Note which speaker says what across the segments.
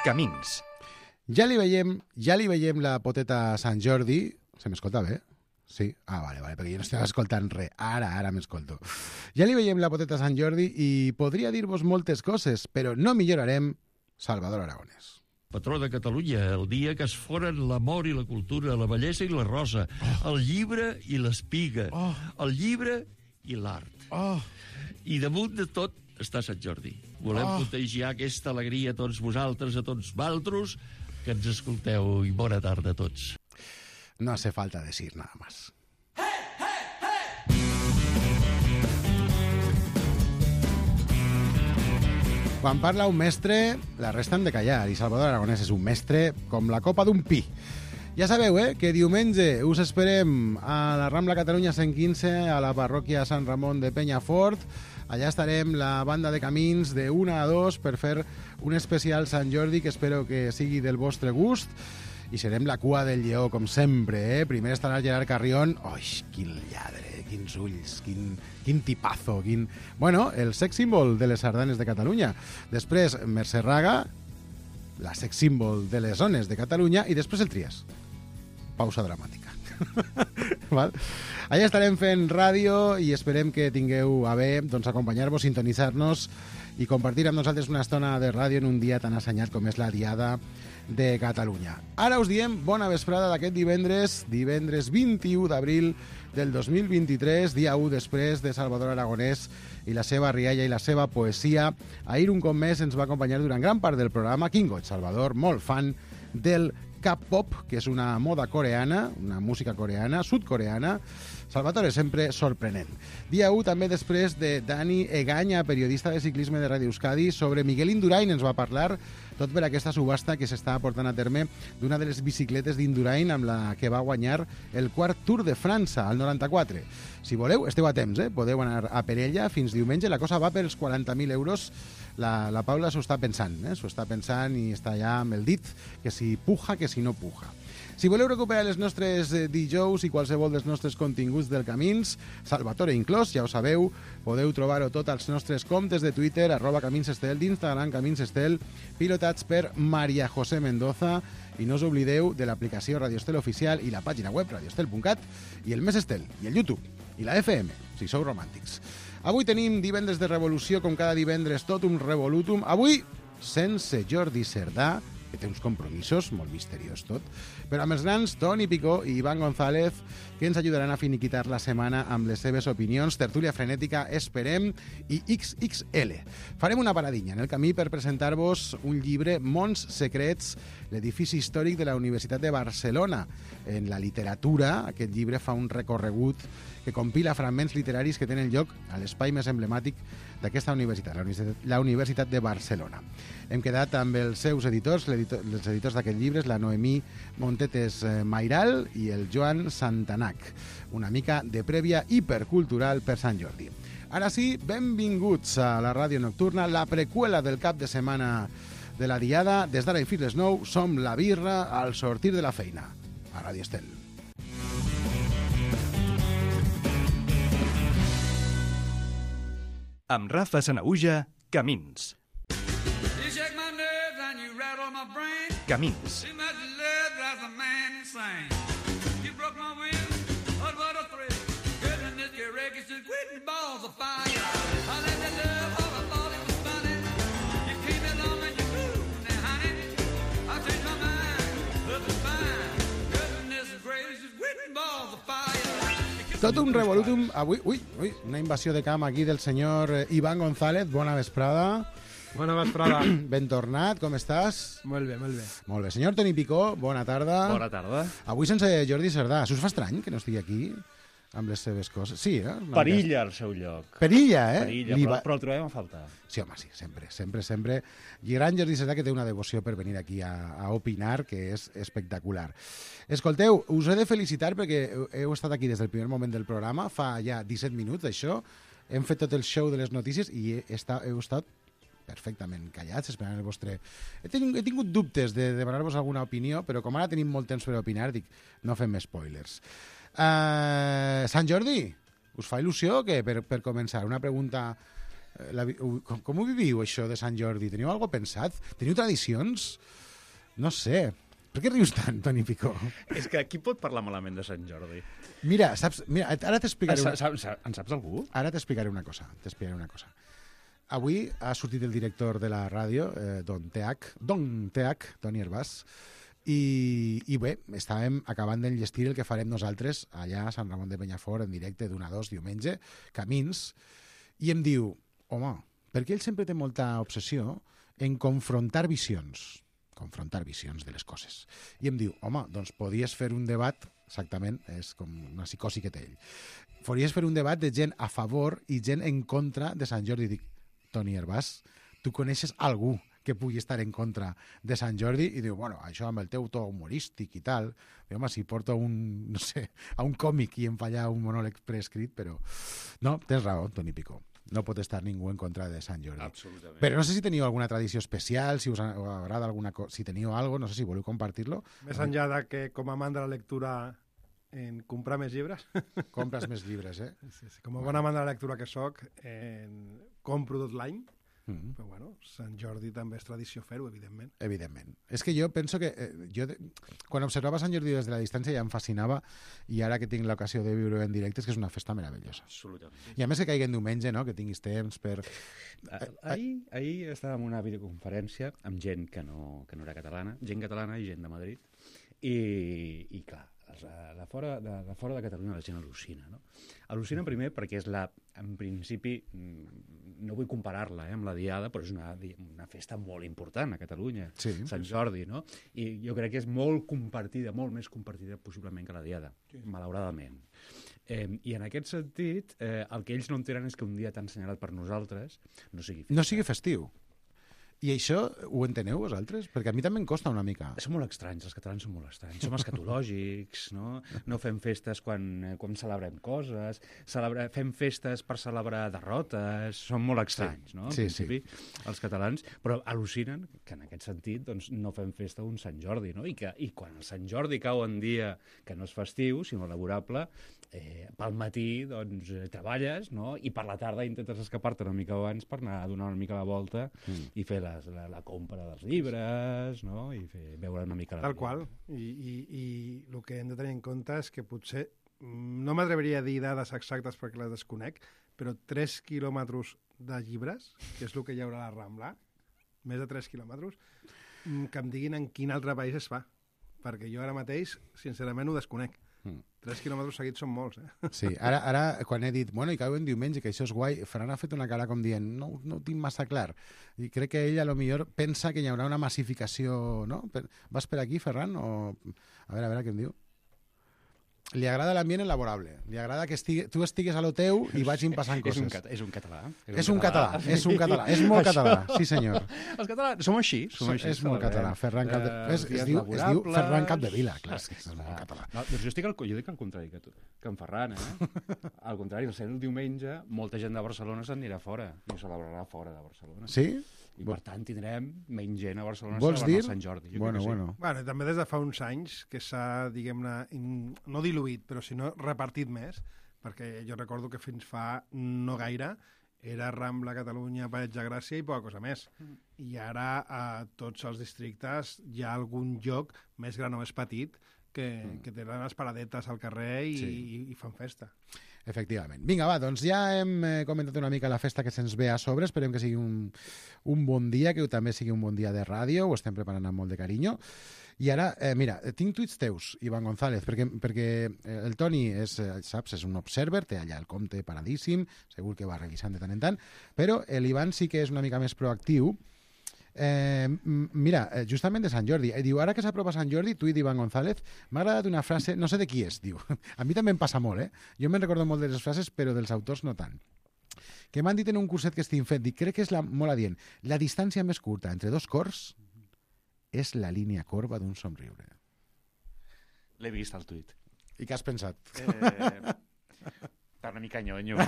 Speaker 1: Camins.
Speaker 2: Ja li veiem la poteta a Sant Jordi. Se m'escolta bé? Sí? Ah, vale, perquè jo no estic escoltant res. Ara m'escolto. Ja li veiem la poteta a Sant Jordi i podria dir-vos moltes coses, però no millorarem Salvador Aragonès.
Speaker 3: Patró de Catalunya, el dia que es foren l'amor i la cultura, la bellesa i la rosa, el llibre i l'espiga, el llibre i l'art. I damunt de tot està Sant Jordi. Volem contagiar aquesta alegria a tots vosaltres, a tots valtros, que ens escolteu, i bona tarda a tots.
Speaker 2: No hace falta decir nada más. Quan parla un mestre, la resta han de callar, i Salvador Aragonès és un mestre com la copa d'un pi. Ja sabeu, que diumenge us esperem a la Rambla Catalunya 115, a la parròquia Sant Ramon de Penyafort. Allà estarem la banda de Camins de 1 a 2 per fer un especial Sant Jordi que espero que sigui del vostre gust. I serem la cua del lleó, com sempre, Primer estarà Gerard Carrión. Oi, quin lladre, quins ulls, quin tipazo, Bueno, el sex símbol de les sardanes de Catalunya. Després, Mercè Raga, la sex símbol de les zones de Catalunya, i després el Trias. Pausa dramàtica. Val? Allà estarem fent ràdio i esperem que tingueu a bé acompanyar-vos, sintonitzar-nos i compartir amb nosaltres una estona de ràdio en un dia tan assenyat com és la Diada de Catalunya. Ara us diem bona vesprada d'aquest divendres 21 d'abril del 2023, dia 1 després de Salvador Aragonès i la seva rialla i la seva poesia. Ahir un cop més ens va acompanyar durant gran part del programa Quin goig, Salvador, molt fan del K-pop, que és una moda coreana, una música coreana, sud-coreana. Salvatore, sempre sorprenent. Dia 1 també després de Dani Egaña, periodista de ciclisme de Ràdio Euskadi, sobre Miguel Indurain ens va parlar, tot per aquesta subhasta que s'està portant a terme d'una de les bicicletes d'Indurain amb la que va guanyar el quart Tour de França, al 94. Si voleu, esteu a temps, podeu anar a per ella fins diumenge. La cosa va pels 40.000 euros. La Paula s'ho està pensant, i està ja amb el dit, que si puja, que si no puja. Si voleu recuperar les nostres dijous i qualsevol dels nostres continguts del Camins, Salvatore inclòs, ja ho sabeu, podeu trobar-ho tot als nostres comptes de Twitter, @CaminsEstel, d'Instagram CaminsEstel, pilotats per Maria José Mendoza, i no us oblideu de l'aplicació Radio Estel Oficial i la pàgina web radioestel.cat i el Més Estel, i el YouTube, i la FM, si sou romàntics. Avui tenim divendres de revolució, com cada divendres, tot un revolutum. Avui, sense Jordi Cerdà, que té uns compromisos, molt misteriós tot, però amb els grans Toni Picó i Iván González, que ens ajudaran a finiquitar la setmana amb les seves opinions, tertúlia frenètica, esperem, i XXL. Farem una paradinha en el camí per presentar-vos un llibre, Mons Secrets, l'edifici històric de la Universitat de Barcelona. En la literatura, aquest llibre fa un recorregut que compila fragments literaris que tenen lloc a l'espai més emblemàtic d'aquesta universitat, la Universitat de Barcelona. Hem quedat amb els seus editors, els editors d'aquest llibre, la Noemí Montetes Mairal i el Joan Santanac. Una mica de prèvia hipercultural per Sant Jordi. Ara sí, benvinguts a la ràdio nocturna, la preqüela del cap de setmana de la Diada. Des d'ara i fins les 9 som la birra al sortir de la feina. A Ràdio Estel.
Speaker 1: Amb Rafa Sanaüja, Camins. Camins.
Speaker 2: Tot un revolutum avui. Ui, una invasió de camp aquí del senyor Iván González. Bona vesprada.
Speaker 4: Bona vesprada.
Speaker 2: Ben tornat, com estàs?
Speaker 4: Molt bé, molt bé.
Speaker 2: Molt bé. Senyor Toni Picó, bona tarda.
Speaker 5: Bona tarda.
Speaker 2: Avui sense Jordi Cerdà. Us fa estrany que no estigui aquí amb les seves coses? Sí,
Speaker 5: Perilla al seu lloc.
Speaker 2: Perilla,
Speaker 5: Perilla, però el trobem a faltar.
Speaker 2: Sí, home, sí, sempre. I gran Jordi Cerdà, que té una devoció per venir aquí a opinar, que és espectacular. Escolteu, us he de felicitar perquè heu estat aquí des del primer moment del programa, fa ja 17 minuts d'això, hem fet tot el show de les notícies i heu estat perfectament callats, esperant el vostre... He tingut dubtes de demanar-vos alguna opinió, però com ara tenim molt temps per opinar, dic, no fem spoilers. Sant Jordi, us fa il·lusió o què, per començar? Una pregunta Com ho viviu, això de Sant Jordi? Teniu alguna cosa pensat? Teniu tradicions? No sé. Per què rius tant, Toni Picó?
Speaker 5: És que qui pot parlar malament de Sant Jordi?
Speaker 2: Mira, ara t'explicaré...
Speaker 5: En saps algú?
Speaker 2: Ara t'explicaré una cosa. Avui ha sortit el director de la ràdio, Don Teach, Toni Herbàs, i bé, estàvem acabant d'enllestir el que farem nosaltres allà a Sant Ramon de Penyafort en directe d'1 a 2 diumenge, Camins, i em diu, home, perquè ell sempre té molta obsessió en confrontar visions de les coses. I em diu, home, doncs podies fer un debat, exactament, és com una psicosi que té ell, podries fer un debat de gent a favor i gent en contra de Sant Jordi. Dic, Toni Herbàs, tu coneixes algú que pugui estar en contra de Sant Jordi? I diu, bueno, això amb el teu to humorístic i tal, diu, home, si porto a un còmic i em falla un monòleg preescrit, però... No, tens raó, Toni Picó. No pot estar ningú en contra de Sant Jordi.
Speaker 5: Absolutament.
Speaker 2: Però no sé si teniu alguna tradició especial, si us agrada alguna cosa, si teniu alguna cosa, no sé si voleu compartir-lo.
Speaker 4: Més enllà de que, com a amant de la lectura, en comprar més llibres.
Speaker 2: Compres més llibres, eh?
Speaker 4: Sí. Com a bon amant de la lectura que soc, compro tot l'any. Però bueno, Sant Jordi també és tradició fer-ho, evidentment.
Speaker 2: Evidentment. És que jo penso que quan observava Sant Jordi des de la distància ja em fascinava, i ara que tinc l'ocasió de viure en directe és que és una festa meravellosa.
Speaker 5: Absolutament.
Speaker 2: I a més que caigui en diumenge, no? Que tinguis temps per...
Speaker 5: Ahir estàvem en una videoconferència amb gent que no era catalana, gent catalana i gent de Madrid, i clar, de fora de Catalunya la gent al·lucina, no? Al·lucina primer perquè és en principi, no vull comparar-la amb la Diada, però és una festa molt important a Catalunya,
Speaker 2: sí.
Speaker 5: Sant Jordi, no? I jo crec que és molt compartida, molt més compartida possiblement que la Diada, sí. Malauradament. I en aquest sentit, el que ells no entenen és que un dia tan assenyalat per nosaltres no sigui festa.
Speaker 2: No sigui festiu. I això ho enteneu vosaltres? Perquè a mi també em costa una mica.
Speaker 5: Són molt estranys, els catalans són molt estranys. Som escatològics, no? No fem festes quan celebrem coses, fem festes per celebrar derrotes, són molt estranys, no? En principi, els catalans, però al·lucinen que en aquest sentit doncs, no fem festa un Sant Jordi, no? I quan el Sant Jordi cau en dia que no és festiu, sinó laborable, pel matí doncs, treballes, no? I per la tarda intentes escapar-te una mica abans per anar a donar una mica la volta i fer la compra dels llibres, no? I veure una mica la
Speaker 4: vida. Tal qual. I el que hem de tenir en compte és que potser, no m'atreviria a dir dades exactes perquè les desconec, però 3 quilòmetres de llibres, que és el que hi haurà a la Rambla, més de 3 quilòmetres, que em diguin en quin altre país es fa. Perquè jo ara mateix, sincerament, ho desconec. 3 quilòmetres seguits són molts, eh?
Speaker 2: Sí, ara quan he dit, bueno, i cau en diumenge, que això és guai, Ferran ha fet una cara com dient, no ho tinc massa clar. I crec que ell, a lo millor, pensa que hi haurà una massificació, no? Vas per aquí, Ferran? A veure què em diu. Li agrada l'ambient laborable. Li agrada que tu estigues a lo teu i vagin passant coses.
Speaker 5: És un català.
Speaker 2: És un català. És molt català, sí senyor.
Speaker 5: Els catalans som així.
Speaker 2: És molt català. Ferran es diu Ferran Capdevila, clar. És molt català.
Speaker 5: Doncs jo dic al contrari que tu, que en Ferran, al contrari, el diumenge, molta gent de Barcelona s'anirà fora i ho celebrarà fora de Barcelona.
Speaker 2: Sí?
Speaker 5: I per tant tindrem menys gent a Barcelona
Speaker 2: celebrant
Speaker 5: Sant Jordi.
Speaker 2: Bueno.
Speaker 4: També des de fa uns anys que s'ha, diguem-ne, no diluït, però sinó repartit més, perquè jo recordo que fins fa no gaire era Rambla, Catalunya, Passeig de Gràcia i poca cosa més. I ara a tots els districtes hi ha algun lloc, més gran o més petit, que tenen les paradetes al carrer i fan festa.
Speaker 2: Efectivament. Vinga, va, doncs ja hem comentat una mica la festa que se'ns ve a sobre. Esperem que sigui un bon dia, que també sigui un bon dia de ràdio. Ho estem preparant amb molt de carinyo. I ara, mira, tinc tuits teus, Ivan González, perquè el Toni saps, és un observer, té allà el compte paradíssim, segur que va revisant de tant en tant, però l'Ivan sí que és una mica més proactiu. Mira, justament de Sant Jordi, diu, ara que s'apropa Sant Jordi, tuit d'Ivan González, m'ha agradat una frase, no sé de qui és, diu, a mi també em passa molt, jo me'n recordo molt de les frases, però dels autors no tant, que m'han dit en un curset que estic fent, dic, crec que és molt adient, la distància més curta entre dos cors és la línia corba d'un somriure.
Speaker 5: L'he vist al tuit.
Speaker 2: I què has pensat?
Speaker 5: Està una mica nyonyo.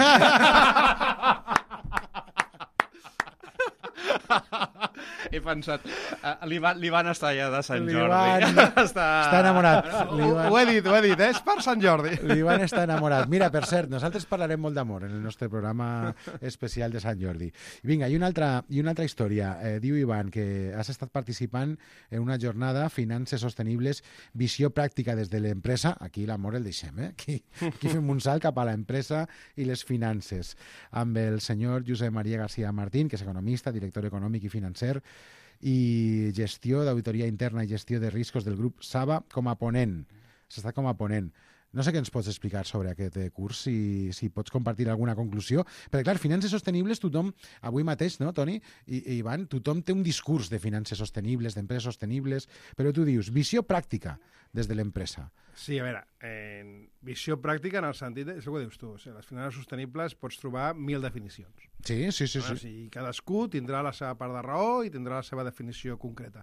Speaker 5: He pensat, l'Ivan està allà de Sant Jordi.
Speaker 2: Està enamorat.
Speaker 4: Ho he dit, és per Sant Jordi.
Speaker 2: L'Ivan està enamorat. Mira, per cert, nosaltres parlarem molt d'amor en el nostre programa especial de Sant Jordi. Vinga, i una altra història. Diu Ivan que has estat participant en una jornada Finances Sostenibles, visió pràctica des de l'empresa. Aquí l'amor el deixem, Aquí fem un salt cap a l'empresa i les finances. Amb el senyor Josep Maria García Martín, que és economista, director econòmic i financer, i gestió d'auditoria interna i gestió de riscos del grup Saba com a ponent. S'ha estat com a ponent. No sé què ens pots explicar sobre aquest curs, si pots compartir alguna conclusió. Perquè, clar, finances sostenibles, tothom, avui mateix, no, Toni i Ivan, tothom té un discurs de finances sostenibles, d'empreses sostenibles, però tu dius, visió pràctica des de l'empresa.
Speaker 4: Sí, a veure, visió pràctica en el sentit, és el que dius tu, o sigui, les finances sostenibles pots trobar 1000 definicions.
Speaker 2: Sí.
Speaker 4: O sigui, cadascú tindrà la seva part de raó i tindrà la seva definició concreta.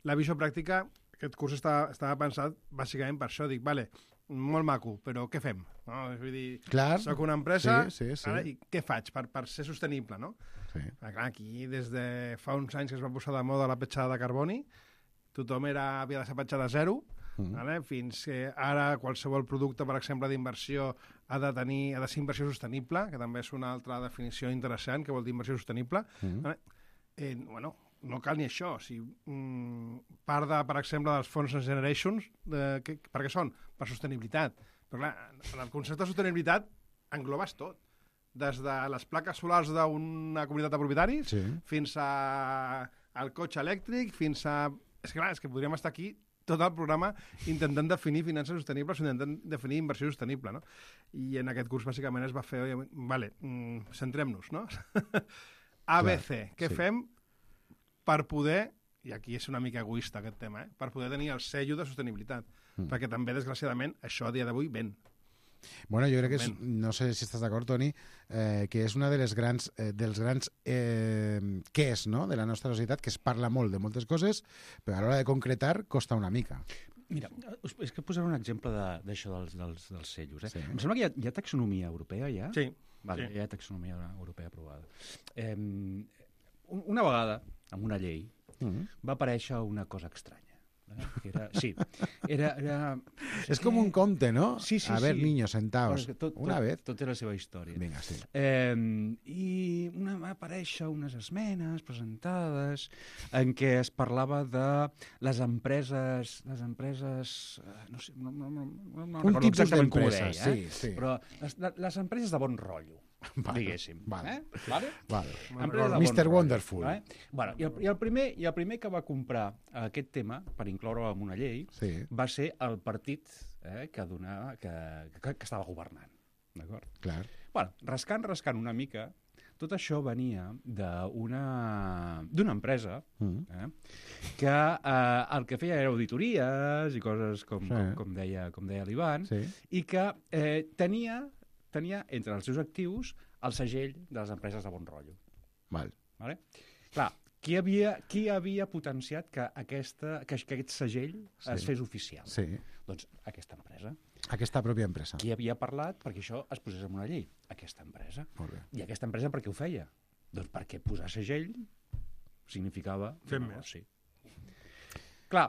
Speaker 4: La visió pràctica, aquest curs estava pensat bàsicament per això, dic, vale, molt maco, però què fem? No? Vull dir, soc una empresa, sí. Ara, i què faig per ser sostenible, no? Sí. Clar, aquí, des de fa uns anys que es va posar de moda la petjada de carboni, tothom havia de ser petjada zero, vale? Fins que ara qualsevol producte, per exemple, d'inversió ha de ser inversió sostenible, que també és una altra definició interessant, que vol dir inversió sostenible. Vale? No cal ni això. O sigui, part, per exemple, dels fons Next Generations, per què són? Per sostenibilitat. Però clar, en el concepte de sostenibilitat englobes tot. Des de les plaques solars d'una comunitat de propietaris fins al cotxe elèctric, fins a... És que podríem estar aquí tot el programa intentant definir finances sostenibles o intentant definir inversió sostenible, no? I en aquest curs, bàsicament, es va fer... Vale, centrem-nos, no? ABC. Què fem per poder, i aquí és una mica egoista aquest tema, per poder tenir el sello de sostenibilitat, perquè també, desgraciadament, això a dia d'avui ven.
Speaker 2: Bueno, jo crec que no sé si estàs d'acord, Toni, que és una dels grans qués, no?, de la nostra societat, que es parla molt de moltes coses, però a l'hora de concretar costa una mica.
Speaker 5: Mira, és que posaré un exemple d'això dels sellos. Em sembla que hi ha taxonomia europea, ja?
Speaker 4: Sí.
Speaker 5: Vale, hi ha taxonomia europea aprovada. Una vegada, amb una llei, va aparèixer una cosa estranya.
Speaker 2: És com un conte, no?
Speaker 5: Sí.
Speaker 2: A ver, niños, sentaos. Una vez.
Speaker 5: Tot té la seva història.
Speaker 2: Vinga, sí.
Speaker 5: I va aparèixer unes esmenes presentades en què es parlava de les empreses... No sé, no
Speaker 2: un tipus d'empresa, sí.
Speaker 5: Però les empreses de bon rotllo, diguéssim.
Speaker 2: Vale.
Speaker 5: Mr.
Speaker 2: Wonderful.
Speaker 5: Bueno, i el primer que va comprar aquest tema per incloure-ho en una llei va ser el partit que estava governant. D'acord?
Speaker 2: Clar.
Speaker 5: Bueno, rascant una mica, tot això venia d'una empresa que el que feia era auditories i coses com deia l'Ivan, i que tenia entre els seus actius el segell de les empreses de bon rotllo. Vale? Clar, qui havia potenciat que aquest segell es fes oficial? Doncs aquesta empresa.
Speaker 2: Aquesta pròpia empresa.
Speaker 5: Qui havia parlat perquè això es posés en una llei? Aquesta empresa.
Speaker 2: Molt bé.
Speaker 5: I aquesta empresa per què ho feia? Doncs perquè posar segell significava...
Speaker 4: Fem més.
Speaker 5: Clar,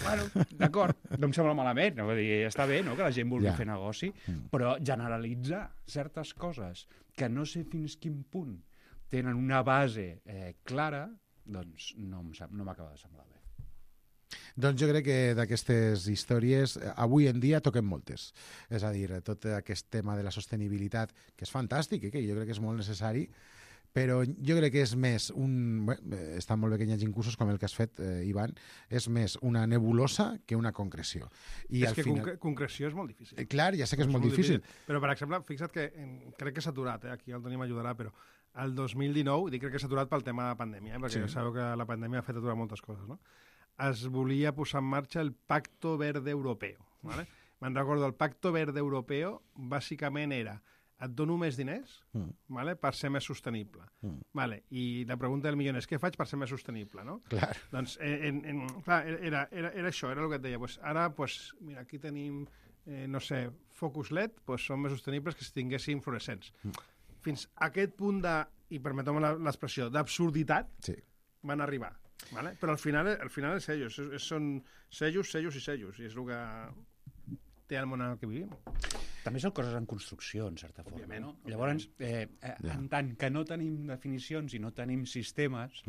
Speaker 5: bueno, d'acord, no em sembla malament, no? Vull dir, està bé, no?, que la gent vulgui fer negoci, però generalitzar certes coses que no sé fins quin punt tenen una base clara, doncs no m'acaba de semblar bé.
Speaker 2: Doncs jo crec que d'aquestes històries avui en dia toquem moltes. És a dir, tot aquest tema de la sostenibilitat, que és fantàstic, que jo crec que és molt necessari, però jo crec que és més està molt bé que hi hagi cursos com el que has fet, Ivan, és més una nebulosa que una concreció.
Speaker 4: És que concreció és molt difícil.
Speaker 2: Clar, ja sé que és molt difícil.
Speaker 4: Però, per exemple, fixa't que crec que s'ha aturat, aquí el Toni m'ajudarà, però el 2019, dic crec que s'ha aturat pel tema de pandèmia, perquè sabeu que la pandèmia ha fet aturar moltes coses, no? Es volia posar en marxa el Pacto Verde Europeo. ¿Vale? Me'n recordo, el Pacto Verde Europeo bàsicament era et dono més diners vale, per ser més sostenible. Vale, i la pregunta del milió és què faig per ser més sostenible? No?
Speaker 2: Clar.
Speaker 4: Doncs clar, era això, era el que et deia. Pues ara, mira, aquí tenim, no sé, focus LED, són més sostenibles que si tinguéssim fluorescents. fins a aquest punt de, i permeteu-me l'expressió, d'absurditat, van arribar. Vale? Però al final és sellos, són sellos i sellos, i és el que té el món en el que vivim.
Speaker 5: També són coses en construcció, en certa forma.
Speaker 4: Òbviament,
Speaker 5: no? Llavors, en tant que no tenim definicions i no tenim sistemes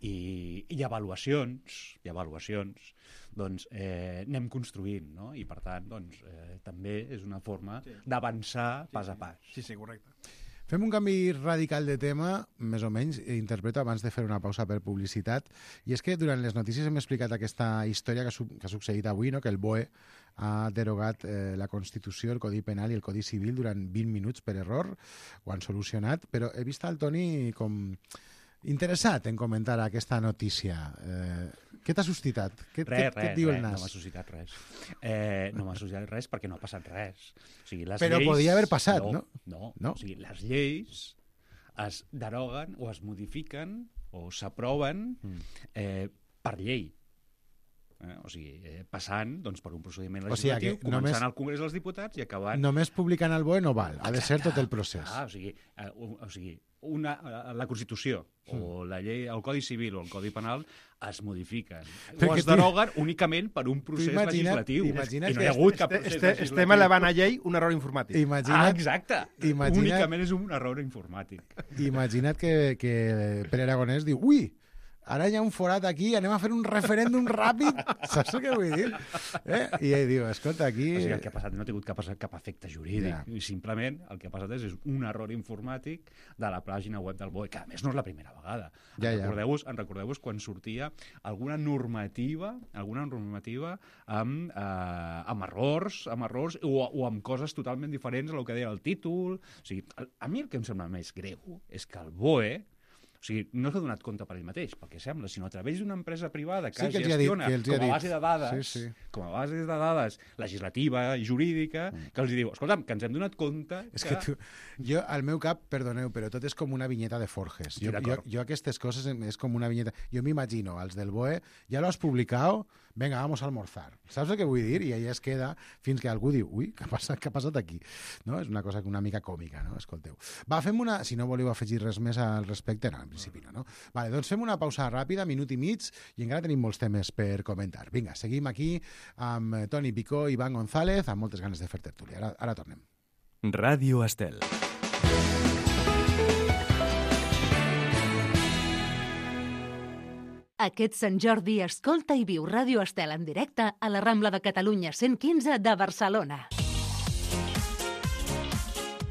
Speaker 5: i avaluacions, doncs anem construint, no? I per tant, doncs, també és una forma d'avançar pas a pas.
Speaker 4: Sí, correcte.
Speaker 2: Fem un canvi radical de tema, més o menys, interpreto abans de fer una pausa per publicitat, i és que durant les notícies hem explicat aquesta història que ha succeït avui, no? Que el BOE ha derogat la Constitució, el Codi Penal i el Codi Civil durant 20 minuts per error, ho han solucionat, però he vist el Toni com interessat en comentar aquesta notícia. Què t'ha suscitat? Què et diu el nas?
Speaker 5: No m'ha suscitat res. No m'ha suscitat res perquè no ha passat res. O sigui, les
Speaker 2: però
Speaker 5: lleis...
Speaker 2: podia haver passat, no?
Speaker 5: No. O sigui, les lleis es deroguen o es modifiquen o s'aproven per llei. O sigui, passant doncs, per un procediment legislatiu, començant al Congrés dels Diputats i acabant...
Speaker 2: Només publicant el BOE no val, ha de ser tot el procés.
Speaker 5: O sigui, la Constitució o la llei, el Codi Civil o el Codi Penal es modifiquen o es deroguen únicament per un procés legislatiu. I no hi ha hagut cap procés legislatiu.
Speaker 4: Estem elevant a llei un error informàtic.
Speaker 5: Exacte. Únicament és un error informàtic.
Speaker 2: Imagina't que Pere Aragonès diu ara hi ha un forat aquí, anem a fer un referèndum ràpid. Saps què vull dir? I ell diu, escolta, aquí...
Speaker 5: O sigui, el que ha passat no ha tingut cap efecte jurídic. I simplement el que ha passat és un error informàtic de la pàgina web del BOE, que a més no és la primera vegada. Recordeu-vos quan sortia alguna normativa amb errors o amb coses totalment diferents a el que deia el títol. O sigui, a mi el que em sembla més greu és que el BOE no s'ha donat compte per ell mateix, pel que sembla, sinó a través d'una empresa privada que gestiona com a base de dades, com a base de dades legislativa i jurídica, que els diu, escolta'm, que ens hem donat compte que...
Speaker 2: És que jo, al meu cap, perdoneu, però tot és com una vinyeta de Forges. Jo aquestes coses és com una vinyeta... Jo m'imagino, els del BOE, ja lo has publicat, venga, vamos a almorzar. Saps el que vull dir? I allà es queda fins que algú diu, què ha passat aquí? No? És una cosa una mica còmica, no? Escolteu. Va, fem una... Si no voleu afegir res més al respecte, no, en principi no. Vale, doncs fem una pausa ràpida, minut i mig, i encara tenim molts temes per comentar. Vinga, seguim aquí amb Toni Picó i Iván González, amb moltes ganes de fer tertúlia. Ara tornem.
Speaker 1: Ràdio Estel.
Speaker 6: Aquest Sant Jordi escolta i viu Ràdio Estel en directe a la Rambla de Catalunya 115 de Barcelona.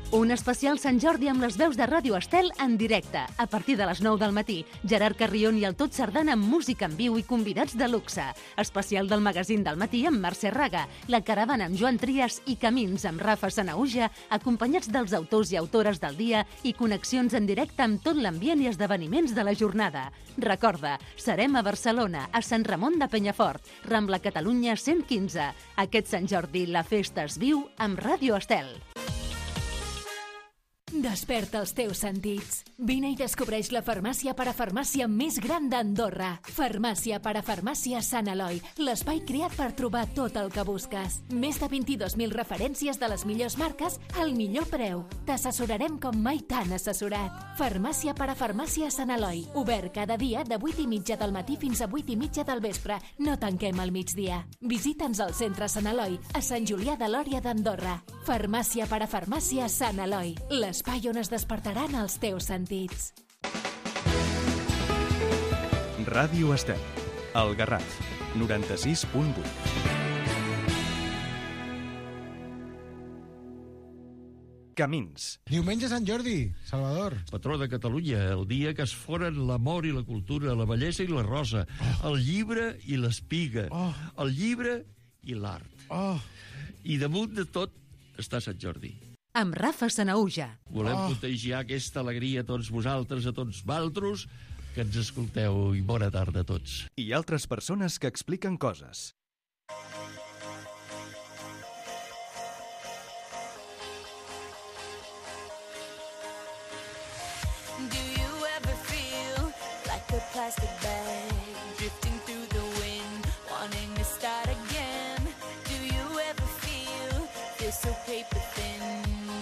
Speaker 6: Un especial Sant Jordi amb les veus de Ràdio Estel en directe. A partir de les 9 del matí, Gerard Carrion i el Tot Sardana amb música en viu i convidats de luxe. Especial del magazín del matí amb Mercè Raga, La Caravana amb Joan Trias i Camins amb Rafa Sanauja, acompanyats dels autors i autores del dia i connexions en directe amb tot l'ambient i esdeveniments de la jornada. Recorda, serem a Barcelona, a Sant Ramon de Penyafort, Rambla Catalunya 115. Aquest Sant Jordi la festa es viu amb Ràdio Estel.
Speaker 7: Desperta els teus sentits. Vine i descobreix la farmàcia parafarmàcia més gran d'Andorra. Farmàcia parafarmàcia Sant Eloi, l'espai creat per trobar tot el que busques. Més de 22.000 referències de les millors marques al millor preu. T'assessorarem com mai t'han assessorat. Farmàcia parafarmàcia Sant Eloi, obert cada dia de 8:30 del matí fins a 8:30 del vespre. No tanquem al migdia. Visita'ns al centre Sant Eloi, a Sant Julià de Lòria d'Andorra. Farmàcia parafarmàcia Sant Eloi, l'espai on es despertaran els teus sentits.
Speaker 1: Ràdio Estel, el Garraf, 96.8. Camins.
Speaker 2: Diumenge Sant Jordi, Salvador.
Speaker 3: Patró de Catalunya, el dia que es foren l'amor i la cultura, la bellesa i la rosa, el llibre i l'espiga, el llibre i l'art. I damunt de tot està Sant Jordi.
Speaker 6: Amb Rafa Sanauja.
Speaker 3: Volem contagiar aquesta alegria a tots vosaltres, a tots valtros, que ens escolteu, i bona tarda a tots.
Speaker 1: I altres persones que expliquen coses.
Speaker 8: Do you ever feel like a plastic bag drifting through the wind, wanting to start again? Do you ever feel so paper thin,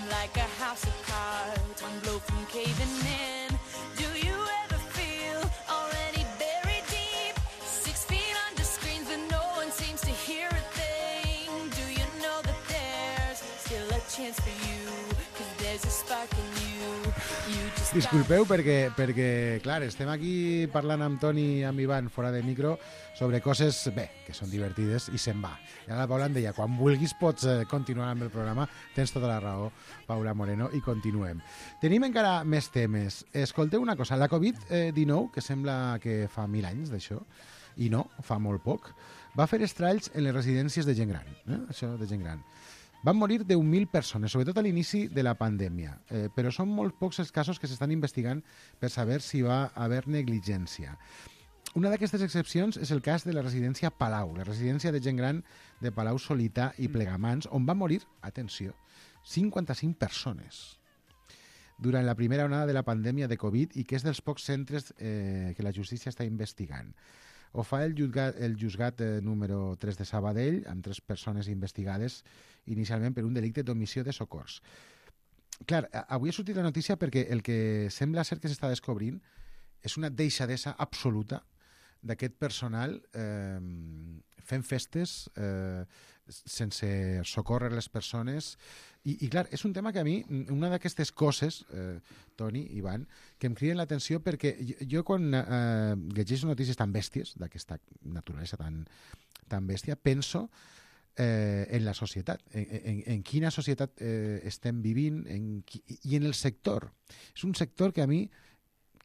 Speaker 8: like a house of cards, one blow from caving in. Do you ever feel already buried deep, 6 feet under screens but no one seems to hear a thing? Do you know that there's still a chance for you, 'cause there's a spark in you. You just
Speaker 2: Disculpeu perquè, clar, estem aquí parlant amb Toni i amb Ivan fora de micro sobre coses, bé, que són divertides i se'n va. I ara la Paula em deia, quan vulguis pots continuar amb el programa, tens tota la raó, Paula Moreno, i continuem. Tenim encara més temes. Escolteu una cosa, la Covid-19, que sembla que fa 1000 anys d'això, i no, fa molt poc, va fer estralls en les residències de gent gran, això de gent gran. Van morir 10.000 persones, sobretot a l'inici de la pandèmia, però són molt pocs els casos que s'estan investigant per saber si va haver negligència. Una d'aquestes excepcions és el cas de la residència Palau, la residència de gent gran de Palau Solità i Plegamans, on van morir, atenció, 55 persones durant la primera onada de la pandèmia de Covid i que és dels pocs centres que la justícia està investigant. Ho fa el juzgat número 3 de Sabadell, amb 3 persones investigades inicialment per un delicte d'omissió de socors. Clar, avui ha sortit la notícia perquè el que sembla ser que s'està descobrint és una deixadesa absoluta d'aquest personal fent festes sense socórrer les persones i clar, és un tema que a mi, una d'aquestes coses, Toni, Ivan, que em criden l'atenció perquè jo quan llegeixo notícies tan bèsties, d'aquesta naturalesa tan bèstia, penso en la societat, en quina societat estem vivint i en el sector. És un sector que a mi,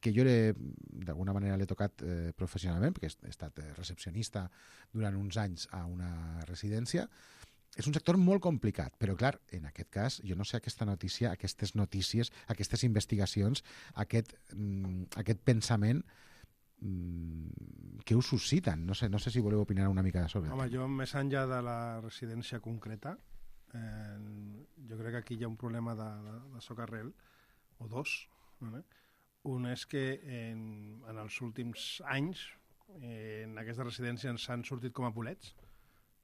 Speaker 2: que jo d'alguna manera l'he tocat professionalment, perquè he estat recepcionista durant uns anys a una residència, és un sector molt complicat, però clar, en aquest cas, jo no sé aquesta notícia, aquestes notícies, aquestes investigacions, aquest pensament que us susciten. No sé si voleu opinar una mica sobre
Speaker 4: Home, jo, més enllà de la residència concreta, jo crec que aquí hi ha un problema de socarrel, o dos, ¿vale? Un és que en els últims anys en aquestes residències s'han sortit com a bolets,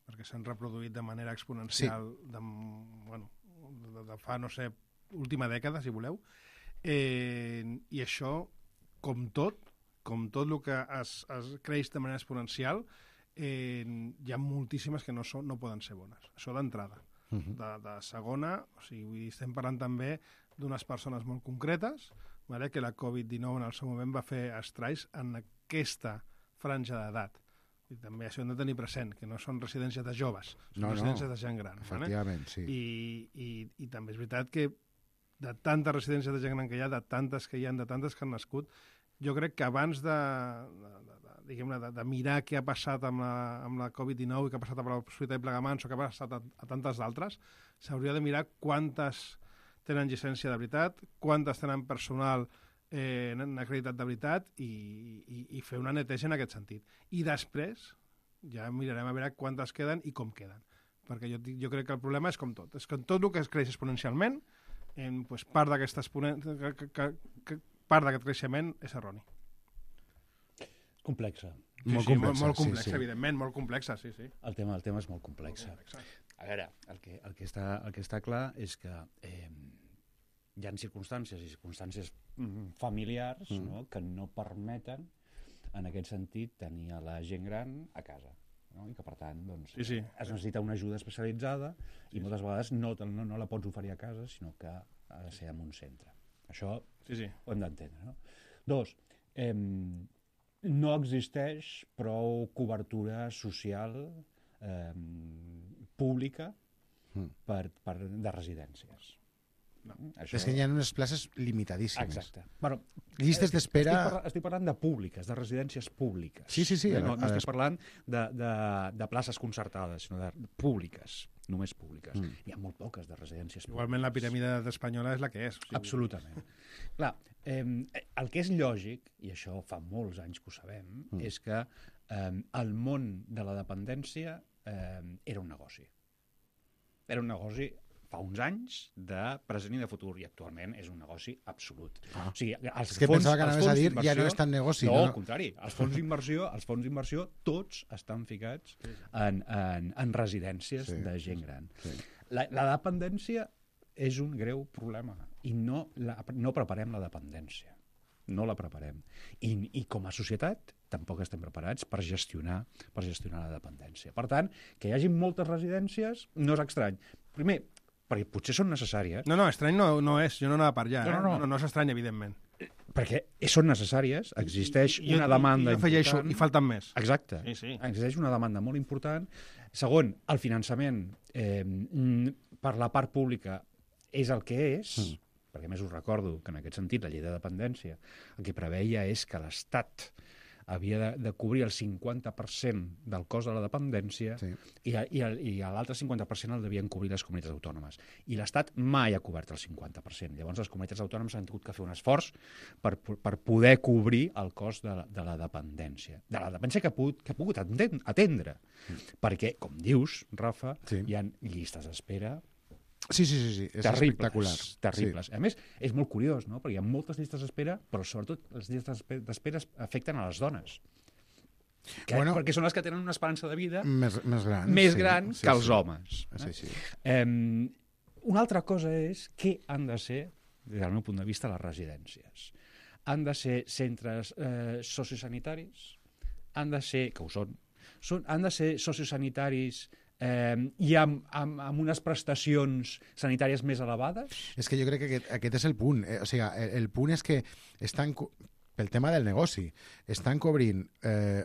Speaker 4: perquè s'han reproduït de manera exponencial de fa, no sé, última dècada, si voleu, i això, com tot el que es creix de manera exponencial, hi ha moltíssimes que no poden ser bones. Això d'entrada. De segona, o sigui, estem parlant també d'unes persones molt concretes, vale, que la Covid-19 en el seu moment va fer estralls en aquesta franja d'edat. I també això hem de tenir present, que no són residències de joves, són residències de gent gran.
Speaker 2: Efectivament, sí.
Speaker 4: I també és veritat que de tantes residències de gent gran que hi ha, de tantes que hi ha, de tantes que han nascut, jo crec que abans de mirar què ha passat amb la Covid-19 i què ha passat amb la Solità i Plegamans o què ha passat a tantes d'altres, s'hauria de mirar quantes tenen llicència de veritat, quantes tenen personal acreditat de veritat i fer una neteja en aquest sentit. I després ja mirarem a veure quantes queden i com queden. Perquè jo crec que el problema és com tot. És que tot el que es creix exponencialment, part d'aquest creixement és erroni.
Speaker 5: Complexa.
Speaker 2: Molt
Speaker 4: complexa, evidentment, molt complexa, sí.
Speaker 5: El tema és molt complex. A veure, el que està clar és que hi ha circumstàncies familiars que no permeten, en aquest sentit, tenir a la gent gran a casa. I que, per tant, es necessita una ajuda especialitzada i moltes vegades no la pots oferir a casa, sinó que ha de ser en un centre. Això ho hem d'entendre. No? 2, no existeix prou cobertura social pública de residències.
Speaker 2: És que hi ha unes places limitadíssimes.
Speaker 5: Exacte. Bueno,
Speaker 2: llistes d'espera...
Speaker 5: Estic parlant de públiques, de residències públiques.
Speaker 2: Sí.
Speaker 5: No estic parlant de places concertades, sinó de públiques, només públiques. Hi ha molt poques de residències públiques.
Speaker 4: Igualment la piràmide espanyola és la que és.
Speaker 5: Absolutament. Clar, el que és lògic, i això fa molts anys que ho sabem, és que el món de la dependència era un negoci. Era un negoci fa uns anys de present i de futur, i actualment és un negoci absolut. O sigui,
Speaker 2: és que pensava que anaves a dir ja no és tan negoci.
Speaker 5: No, al contrari. Els fons d'inversió tots estan ficats en residències de gent gran. La dependència és un greu problema i no preparem la dependència. No la preparem. I com a societat tampoc estem preparats per gestionar la dependència. Per tant, que hi hagi moltes residències no és estrany. Primer, perquè potser són necessàries.
Speaker 4: No, estrany no és. Jo no anava per allà. No és estrany, evidentment.
Speaker 5: Perquè són necessàries, existeix una demanda
Speaker 4: important. I afegeixo, i falten més.
Speaker 5: Exacte.
Speaker 4: Sí.
Speaker 5: Existeix una demanda molt important. Segon, el finançament per la part pública és el que és, perquè a més us recordo que en aquest sentit la llei de dependència el que preveia és que l'Estat havia de cobrir el 50% del cost de la dependència i l'altre 50% el devien cobrir les comunitats autònomes. I l'Estat mai ha cobert el 50%. Llavors les comunitats autònomes han tingut que fer un esforç per poder cobrir el cost de la dependència. De la dependència que ha pogut atendre. Perquè, com dius, Rafa, hi ha llistes d'espera
Speaker 2: Sí, és espectacular.
Speaker 5: Terribles. A més, és molt curiós, no? Perquè hi ha moltes llistes d'espera, però sobretot les llistes d'espera afecten a les dones. Perquè són les que tenen una esperança de vida més gran que els homes.
Speaker 2: Sí.
Speaker 5: Una altra cosa és què han de ser, des del meu punt de vista, les residències. Han de ser centres sociosanitaris, han de ser, que ho són, han de ser sociosanitaris i amb unes prestacions sanitàries més elevades?
Speaker 2: És que jo crec que aquest és el punt. O sigui, el punt és que estan, pel tema del negoci, estan cobrint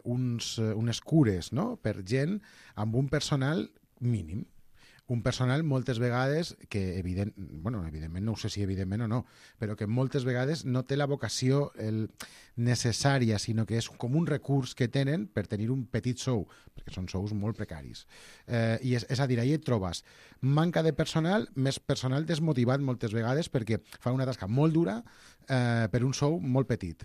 Speaker 2: unes cures, no?, per gent amb un personal mínim. Un personal moltes vegades que, evidentment, no sé si evidentment o no, però que moltes vegades no té la vocació necessària, sinó que és com un recurs que tenen per tenir un petit sou, perquè són sous molt precaris. I és a dir, ahir et trobes manca de personal, més personal desmotivat moltes vegades perquè fa una tasca molt dura per un sou molt petit.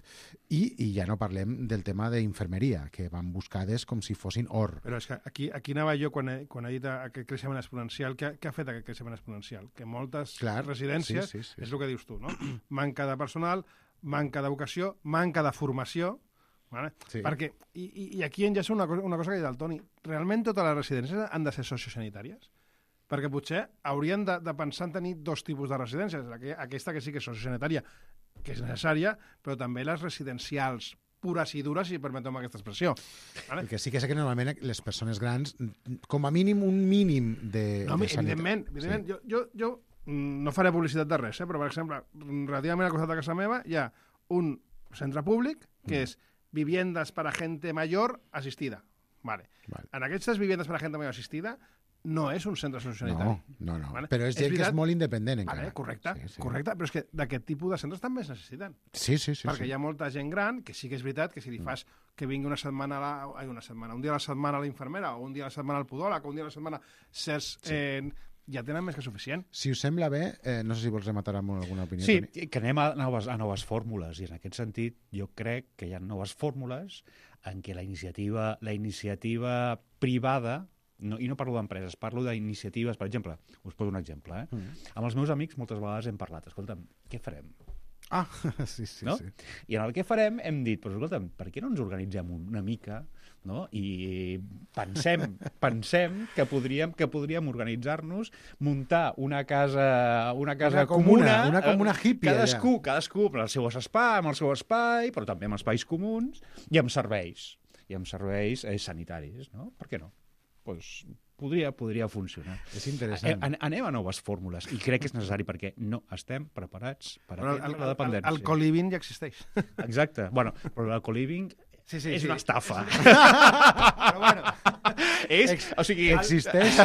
Speaker 2: I ja no parlem del tema d'infermeria, que van buscades com si fossin or.
Speaker 4: Però és que aquí anava jo quan he dit aquest creixement exponencial. Què ha fet aquest creixement exponencial? Que moltes residències, és el que dius tu, no? Manca de personal, manca de vocació, manca de formació, vale? Perquè, i aquí enllaça una cosa que ha dit el Toni, realment totes les residències han de ser sociosanitàries? Perquè potser haurien de pensar en tenir dos tipus de residències, aquesta que sí que és sociosanitària, que és necessària, però també les residencials pures i dures, si permetem aquesta expressió. Vale?
Speaker 2: Perquè sí que sé que normalment les persones grans, com a mínim un mínim de
Speaker 4: sanitat. Evidentment. Jo no faré publicitat de res, però per exemple, relativament al costat de casa meva hi ha un centre públic que és viviendas para gente mayor asistida. Vale. En aquestes viviendas para gente mayor asistida no és un centre sociosanitari.
Speaker 2: No. Vale? Però és gent que és molt independent encara.
Speaker 4: Vale, correcte, però és que d'aquest tipus de centres també es necessiten.
Speaker 2: Sí.
Speaker 4: Perquè hi ha molta gent gran que sí que és veritat que si li fas que vingui un dia a la setmana a la infermera, o un dia a la setmana al podòleg, o un dia a la setmana ja tenen més que suficient.
Speaker 2: Si us sembla bé, no sé si vols rematar amb alguna opinió.
Speaker 5: Sí, que anem a noves fórmules, i en aquest sentit jo crec que hi ha noves fórmules en què la iniciativa privada, i no parlo d'empreses, parlo d'iniciatives, per exemple, us poso un exemple, amb els meus amics moltes vegades hem parlat, escolta'm, què farem?
Speaker 2: Sí.
Speaker 5: I en el que farem hem dit, però escolta'm, per què no ens organitzem una mica, no? I pensem que podríem organitzar-nos, muntar una casa comuna,
Speaker 2: una comuna hippie,
Speaker 5: cadascú amb el seu espai, però també amb espais comuns i amb serveis sanitaris, no? Per què no? Pues podria funcionar.
Speaker 2: És interessant.
Speaker 5: Anem a noves fórmules, i crec que és necessari perquè no estem preparats per atendre la dependència.
Speaker 4: El co-living ja existeix.
Speaker 5: Exacte. Bueno, però el co-living és una estafa.
Speaker 4: Però bueno...
Speaker 2: Existeix,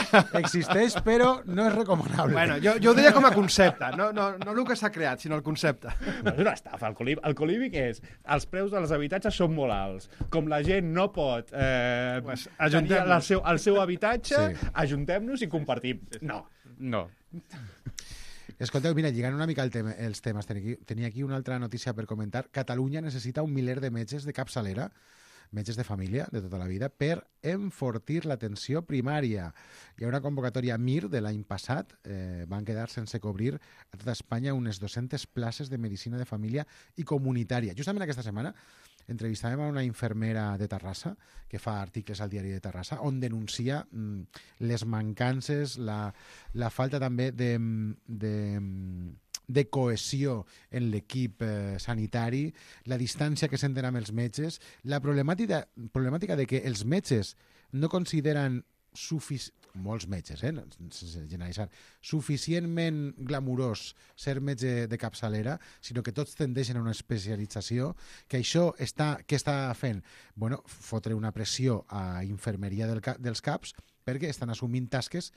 Speaker 2: però no és recomanable.
Speaker 4: Bueno, jo ho deia com a concepte, no el que s'ha creat, sinó el concepte.
Speaker 5: No, és una estafa. El co-living és... Els preus dels habitatges són molt alts. Com la gent no pot tenir el seu habitatge, ajuntem-nos i compartim. No.
Speaker 2: Escolteu, mira, lligant una mica els temes, tenia aquí una altra notícia per comentar. Catalunya necessita 1 miler de metges de capçalera, metges de família de tota la vida, per enfortir l'atenció primària. Hi ha una convocatòria MIR de l'any passat, van quedar sense cobrir a tota Espanya unes 200 places de medicina de família i comunitària. Justament aquesta setmana entrevistàvem a una infermera de Terrassa que fa articles al diari de Terrassa on denuncia les mancances, la falta també de de cohesió en l'equip sanitari, la distància que senten amb els metges, la problemàtica de que els metges no consideren molts metges, sense generalitzar, suficientment glamurós ser metge de capçalera, sinó que tots tendeixen a una especialització, que això què està fent? Bueno, fotre una pressió a infermeria dels CAPs perquè estan assumint tasques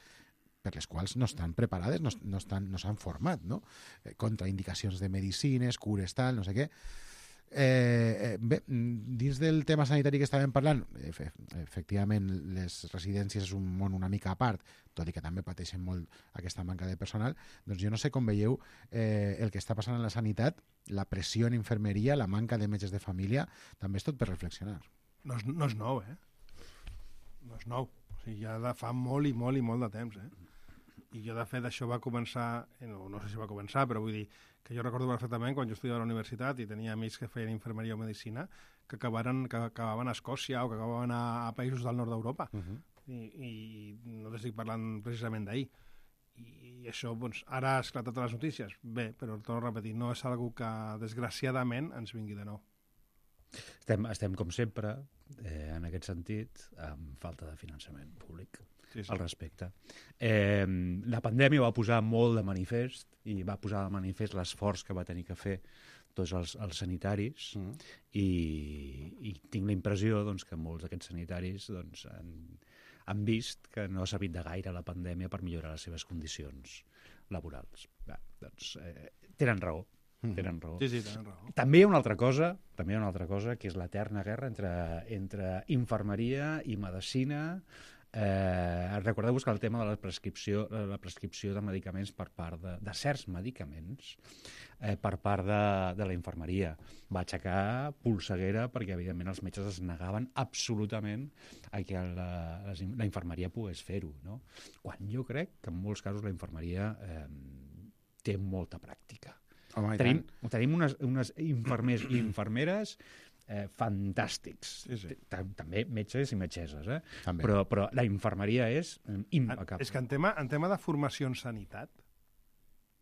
Speaker 2: per les quals no estan preparades, no s'han format, no? Contraindicacions de medicines, cures, tal, no sé què. Bé, dins del tema sanitari que estàvem parlant, efectivament les residències és un món una mica a part, tot i que també pateixen molt aquesta manca de personal. Doncs jo no sé com veieu el que està passant en la sanitat, la pressió en infermeria, la manca de metges de família, també és tot per reflexionar.
Speaker 4: No és nou, no és nou. O sigui, ja de fa molt i molt i molt de temps, I jo, de fet, això va començar, no sé si va començar, però vull dir que jo recordo perfectament quan jo estudiava a la universitat i tenia amics que feien infermeria o medicina que acabaven a Escòcia o que acabaven a països del nord d'Europa. I no t'estic parlant precisament d'ahir. I això, doncs, ara ha esclatat a les notícies. Bé, però torno a repetir, no és algo que, desgraciadament, ens vingui de nou.
Speaker 5: Estem com sempre, en aquest sentit, amb falta de finançament públic al respecte. La pandèmia va posar molt de manifest i va posar de manifest l'esforç que va tenir que fer tots els sanitaris i tinc la impressió doncs, que molts d'aquests sanitaris doncs, han vist que no ha servit de gaire la pandèmia per millorar les seves condicions laborals. Doncs, tenen raó. Tenen raó.
Speaker 4: Sí, tenen raó.
Speaker 5: També hi ha una altra cosa, que és l'eterna guerra entre infermeria i medicina. Recordeu-vos que el tema de la prescripció de medicaments per part de certs medicaments per part de la infermeria va aixecar polseguera perquè evidentment els metges es negaven absolutament a que la infermeria pogués fer-ho, no? Quan jo crec que en molts casos la infermeria té molta pràctica.
Speaker 2: Home,
Speaker 5: tenim unes infermers i infermeres fantàstics.
Speaker 4: Sí.
Speaker 5: També metges i metgesses,
Speaker 2: També.
Speaker 5: Però la infermeria és impecable.
Speaker 4: És que en tema de formació en sanitat,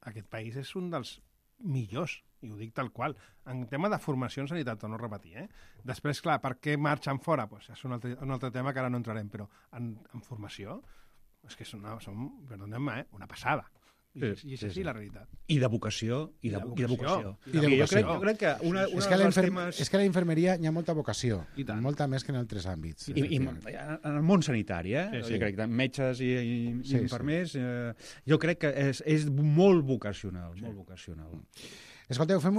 Speaker 4: aquest país és un dels millors, i ho dic tal qual. En tema de formació en sanitat, torno a repetir, Després, clar, per què marxen fora? Pues és un altre tema que ara no entrarem, però en formació és que som perdoneu-me, una passada. I és així la realitat.
Speaker 5: I de vocació. Jo crec que
Speaker 2: és que a la infermeria hi ha molta vocació, molta més que en altres àmbits.
Speaker 5: I en el món sanitari, jo crec que metges i infermers, jo crec que és molt vocacional, molt vocacional.
Speaker 2: Escolteu, hem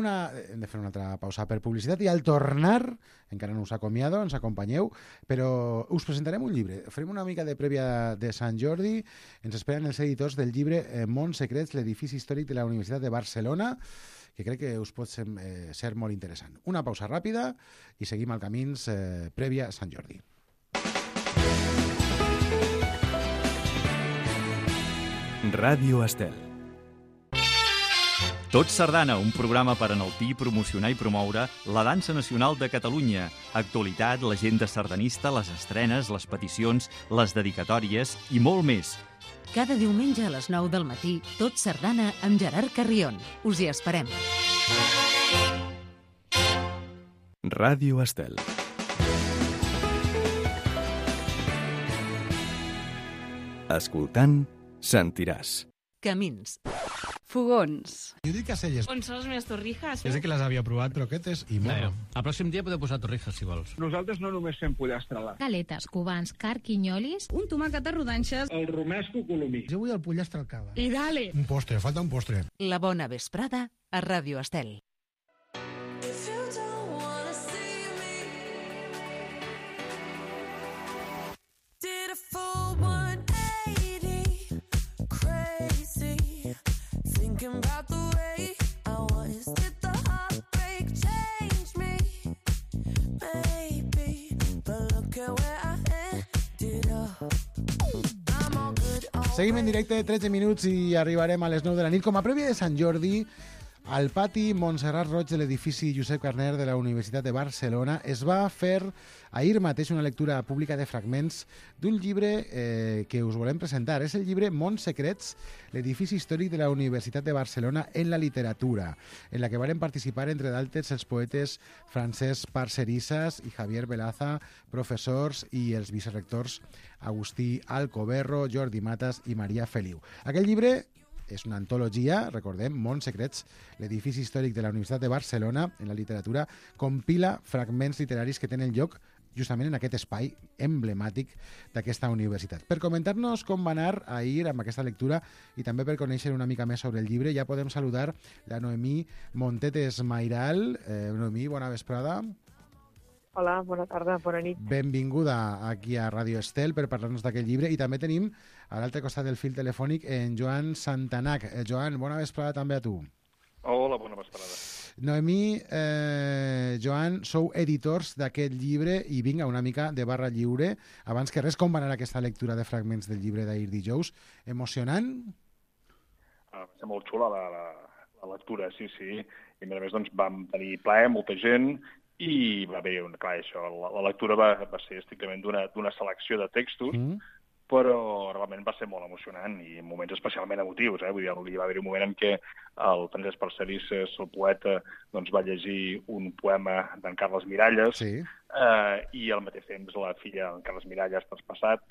Speaker 2: de fer una altra pausa per publicitat i al tornar, encara no us acomiado, ens acompanyeu, però us presentarem un llibre. Farem una mica de prèvia de Sant Jordi. Ens esperen els editors del llibre Mons Secrets, l'edifici històric de la Universitat de Barcelona, que crec que us pot ser molt interessant. Una pausa ràpida i seguim al camins prèvia a Sant Jordi.
Speaker 1: Ràdio Estel.
Speaker 9: Tot Sardana, un programa per enaltir, promocionar i promoure la dansa nacional de Catalunya. Actualitat, l'agenda sardanista, les estrenes, les peticions, les dedicatòries i molt més.
Speaker 6: Cada diumenge a les 9 del matí, Tot Sardana amb Gerard Carrion. Us hi esperem.
Speaker 1: Ràdio Estel. Escoltant, sentiràs.
Speaker 6: Camins.
Speaker 10: Fogons.
Speaker 2: Judit Caselles.
Speaker 10: On són les meves torrijas?
Speaker 2: És que les havia provat, però aquest és imorro.
Speaker 3: El pròxim dia podeu posar torrijas, si vols.
Speaker 11: Nosaltres no només fem pollastre a la...
Speaker 12: Galetes, cubans, carquinyolis,
Speaker 10: Un tomàquet a rodanxes.
Speaker 11: El romesco colomí.
Speaker 2: Jo vull el pollastre al cava.
Speaker 10: I dale.
Speaker 2: Un postre, falta un postre.
Speaker 6: La bona vesprada a Ràdio Estel.
Speaker 8: If you don't wanna see me, did a full 180, crazy, thinking about the way I was. Did the heartbreak change me? Maybe, but look at where I ended up. I'm all good.
Speaker 2: Seguim en directe, 13 minuts i arribarem a les 9 de la nit. Com a prèvia de Sant Jordi, Al pati Montserrat Roig de l'edifici Josep Carner de la Universitat de Barcelona es va fer ahir mateix una lectura pública de fragments d'un llibre que us volem presentar. És el llibre Mons Secrets, l'edifici històric de la Universitat de Barcelona en la literatura, en la que varen participar, entre d'altres, els poetes Francesc Parcerissas i Javier Velaza, professors, i els vicerectors Agustí Alcoberro, Jordi Matas i Maria Feliu. Aquest llibre és una antologia, recordem, Mons Secrets, l'edifici històric de la Universitat de Barcelona en la literatura, compila fragments literaris que tenen lloc justament en aquest espai emblemàtic d'aquesta universitat. Per comentar-nos com va anar ahir amb aquesta lectura i també per conèixer una mica més sobre el llibre, ja podem saludar la Noemí Montetes Mairal. Noemí, bona vesprada.
Speaker 13: Hola, bona tarda, bona nit.
Speaker 2: Benvinguda aquí a Radio Estel per parlar-nos d'aquest llibre, i també tenim a l'altre costat del fil telefònic en Joan Santanac. Joan, bona vesprada també a tu.
Speaker 14: Hola, bona vesprada.
Speaker 2: Noemí, Joan, sou editors d'aquest llibre i vinga, una mica de barra lliure. Abans que res, com va anar aquesta lectura de fragments del llibre d'ahir dijous? Emocionant?
Speaker 14: Va ser molt xula la lectura, sí. I a més, doncs, vam tenir plaer, molta gent, i va haver, clar, això, la lectura va ser estrictament d'una selecció de textos, però realment va ser molt emocionant i en moments especialment emotius. Vull dir, hi va haver un moment en què el Francesc Parcerissas, el poeta, doncs, va llegir un poema d'en Carles Miralles, i al mateix temps la filla d'en Carles Miralles traspassat,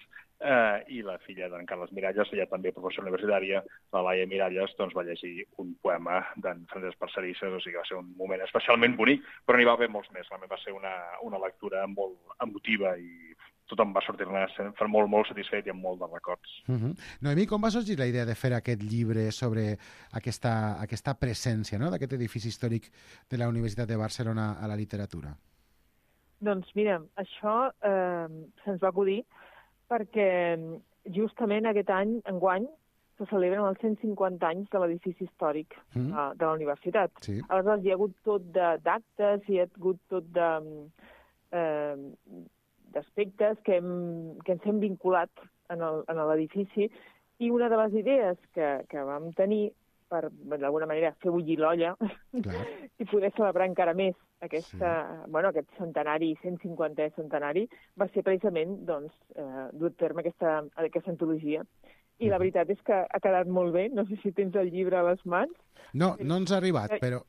Speaker 14: i la filla d'en Carles Miralles, ella també professora universitària, la Laia Miralles, doncs, va llegir un poema d'en Francesc Parcerissas, o sigui que va ser un moment especialment bonic, però n'hi va haver molts més. Realment va ser una lectura molt emotiva i tothom va sortir-ne molt, molt satisfet i amb molt de records.
Speaker 2: Noemí, com va sorgir la idea de fer aquest llibre sobre aquesta presència, no?, d'aquest edifici històric de la Universitat de Barcelona a la literatura?
Speaker 13: Doncs mira, això se'ns va acudir perquè justament aquest any, enguany, se celebren els 150 anys de l'edifici històric de la universitat. Sí. Aleshores, hi ha hagut tot d'actes, hi ha hagut tot d'aspectes que ens hem vinculat en l'edifici, i una de les idees que vam tenir per, d'alguna manera, fer bullir l'olla i poder celebrar encara més aquest centenari, 150è centenari, va ser precisament dur a terme aquesta antologia. I la veritat és que ha quedat molt bé. No sé si tens el llibre a les mans.
Speaker 2: No ens ha arribat, però...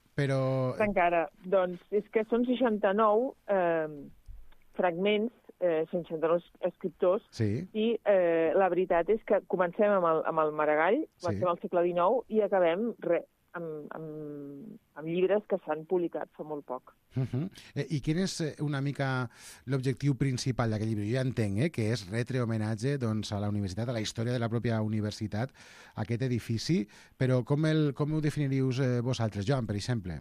Speaker 13: Encara. Doncs és que són 69 fragments, 69 escriptors, i la veritat és que comencem amb el Maragall, comencem al segle XIX, i acabem amb llibres que s'han publicat fa molt poc.
Speaker 2: I quin és una mica l'objectiu principal d'aquest llibre? Jo ja entenc que és retre homenatge a la universitat, a la història de la pròpia universitat, aquest edifici, però com ho definiríeu vosaltres, Joan, per exemple?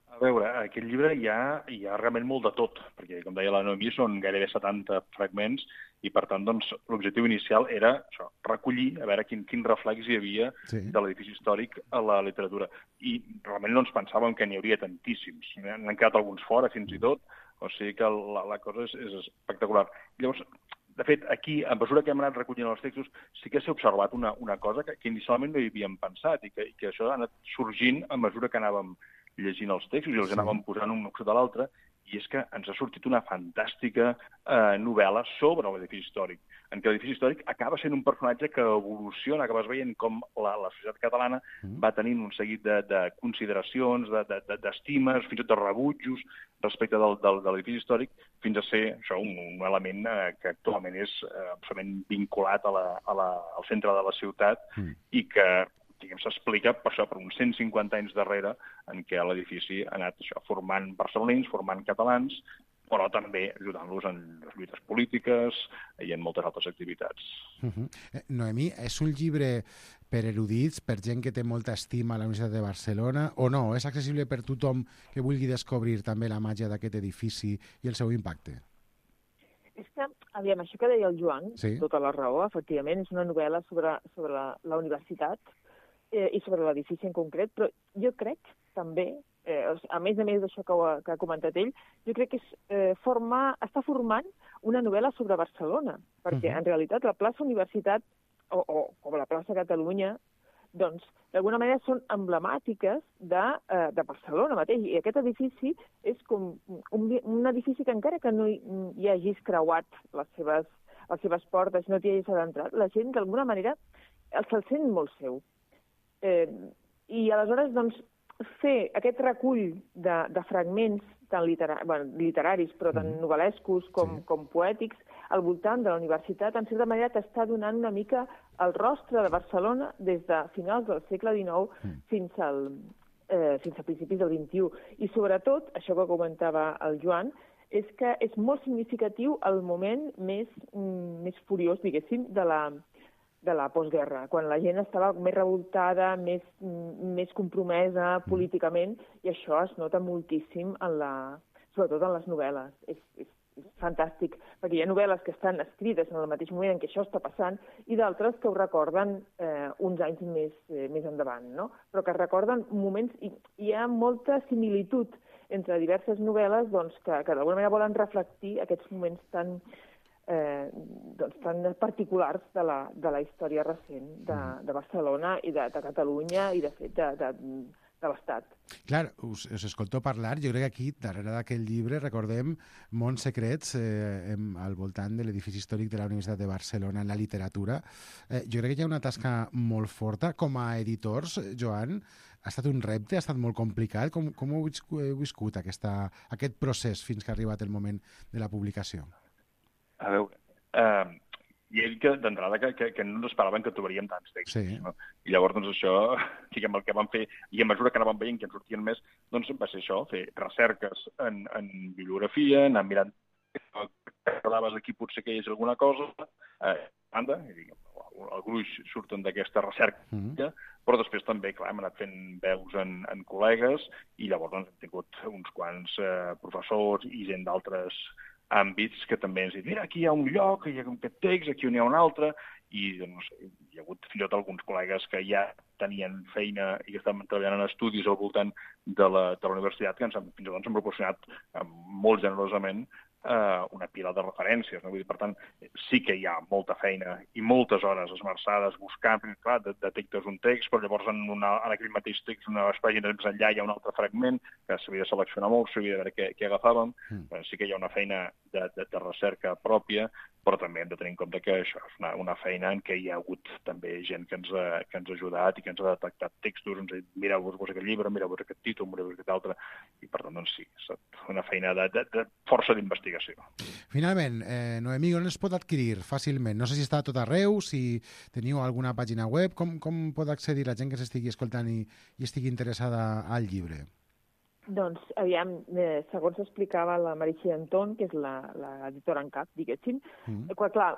Speaker 14: A veure, en aquest llibre hi ha realment molt de tot, perquè, com deia la Noemí, són gairebé 70 fragments, i, per tant, doncs, l'objectiu inicial era això, recollir, a veure quin reflex hi havia de l'edifici històric a la literatura. I realment no ens pensàvem que n'hi hauria tantíssims. N'han quedat alguns fora, fins i tot, o sigui que la cosa és espectacular. Llavors, de fet, aquí, a mesura que hem anat recollint els textos, sí que s'ha observat una cosa que inicialment no hi havíem pensat, i que això ha anat sorgint a mesura que anàvem llegint els textos i els anàvem posant un sota l'altre, i és que ens ha sortit una fantàstica novel·la sobre l'edifici històric, en què l'edifici històric acaba sent un personatge que evoluciona, acabes veient com la societat catalana va tenint un seguit de consideracions, d'estimes, fins i tot de rebutjos respecte de l'edifici històric, fins a ser això, un element que actualment és absolutament vinculat al centre de la ciutat i que s'explica per uns 150 anys darrere en què l'edifici ha anat formant barcelonins, formant catalans, però també ajudant-los en les lluites polítiques i en moltes altres activitats.
Speaker 2: Noemí, és un llibre per erudits, per gent que té molta estima a la Universitat de Barcelona, o no? És accessible per tothom que vulgui descobrir també la màgia d'aquest edifici i el seu impacte?
Speaker 13: És que, aviam, això que deia el Joan, tota la raó, efectivament, és una novel·la sobre la universitat, i sobre l'edifici en concret, però jo crec també, a més d'això que ha comentat ell, jo crec que està formant una novel·la sobre Barcelona, perquè en realitat la plaça Universitat, o la plaça Catalunya, doncs, d'alguna manera són emblemàtiques de Barcelona mateix. I aquest edifici és com un edifici que encara que no hi hagis creuat les seves portes, no t'hi hagis adentrat, la gent d'alguna manera se'l sent molt seu. I aleshores, doncs, fer aquest recull de fragments tant literaris, però tant novel·lescos com poètics, al voltant de la universitat, en certa manera t'està donant una mica el rostre de Barcelona des de finals del segle XIX fins a principis del XXI. I sobretot, això que comentava el Joan, és que és molt significatiu el moment més furiós, diguéssim, de la postguerra, quan la gent estava més revoltada, més compromesa políticament, i això es nota moltíssim sobretot en les novel·les. És fantàstic, perquè hi ha novel·les que estan escrites en el mateix moment en què això està passant i d'altres que ho recorden uns anys més endavant, no? Però que recorden moments... I hi ha molta similitud entre diverses novel·les doncs, que d'alguna manera volen reflectir aquests moments tan particulars de la història recent de Barcelona i de Catalunya i, de fet, de l'Estat.
Speaker 2: Clar, us escolto parlar, jo crec que aquí, darrere d'aquest llibre, recordem Mons secrets al voltant de l'edifici històric de la Universitat de Barcelona en la literatura. Jo crec que hi ha una tasca molt forta. Com a editors, Joan, ha estat un repte, ha estat molt complicat. Com heu viscut aquest procés fins que ha arribat el moment de la publicació?
Speaker 14: A veure, i he dit que d'entrada que no ens esperaven que trobaríem tants textos. No? I llavors, doncs, això, diguem, el que vam fer, i a mesura que anàvem veient que en sortien més, doncs va ser això, fer recerques en bibliografia, anar mirant aquí potser que hi és alguna cosa, banda, el gruix surten d'aquesta recerca, però després també, clar, hem anat fent veus en col·legues, i llavors doncs, hem tingut uns quants professors i gent d'altres àmbits que també ens diuen, mira, aquí hi ha un lloc, hi ha aquest text, aquí n'hi ha un altre, i doncs, hi ha hagut fins i tot alguns col·legues que ja tenien feina i que estaven treballant en estudis al voltant de la universitat que fins i tot ens han proporcionat molt generosament una pila de referències. No? Vull dir, per tant, sí que hi ha molta feina i moltes hores esmerçades buscant, perquè, clar, detectes un text, però llavors en aquell mateix text, unes pàgines més enllà, hi ha un altre fragment que s'havia de seleccionar molt, s'havia de veure què agafàvem. Sí que hi ha una feina de recerca pròpia, però també hem de tenir en compte que això és una feina en què hi ha hagut també gent que ens ha ajudat i que ens ha detectat textos, ens ha dit, mireu-vos aquest llibre, mireu-vos aquest títol, mireu-vos aquest altre, i per tant, doncs sí, és una feina de força d'investigació.
Speaker 2: Finalment, Noemí, on es pot adquirir fàcilment? No sé si està a tot arreu, si teniu alguna pàgina web, com pot accedir la gent que s'estigui escoltant i estigui interessada al llibre?
Speaker 13: Doncs, aviam, segons explicava la Meritxell Anton, que és l'editora en cap, diguéssim, clar,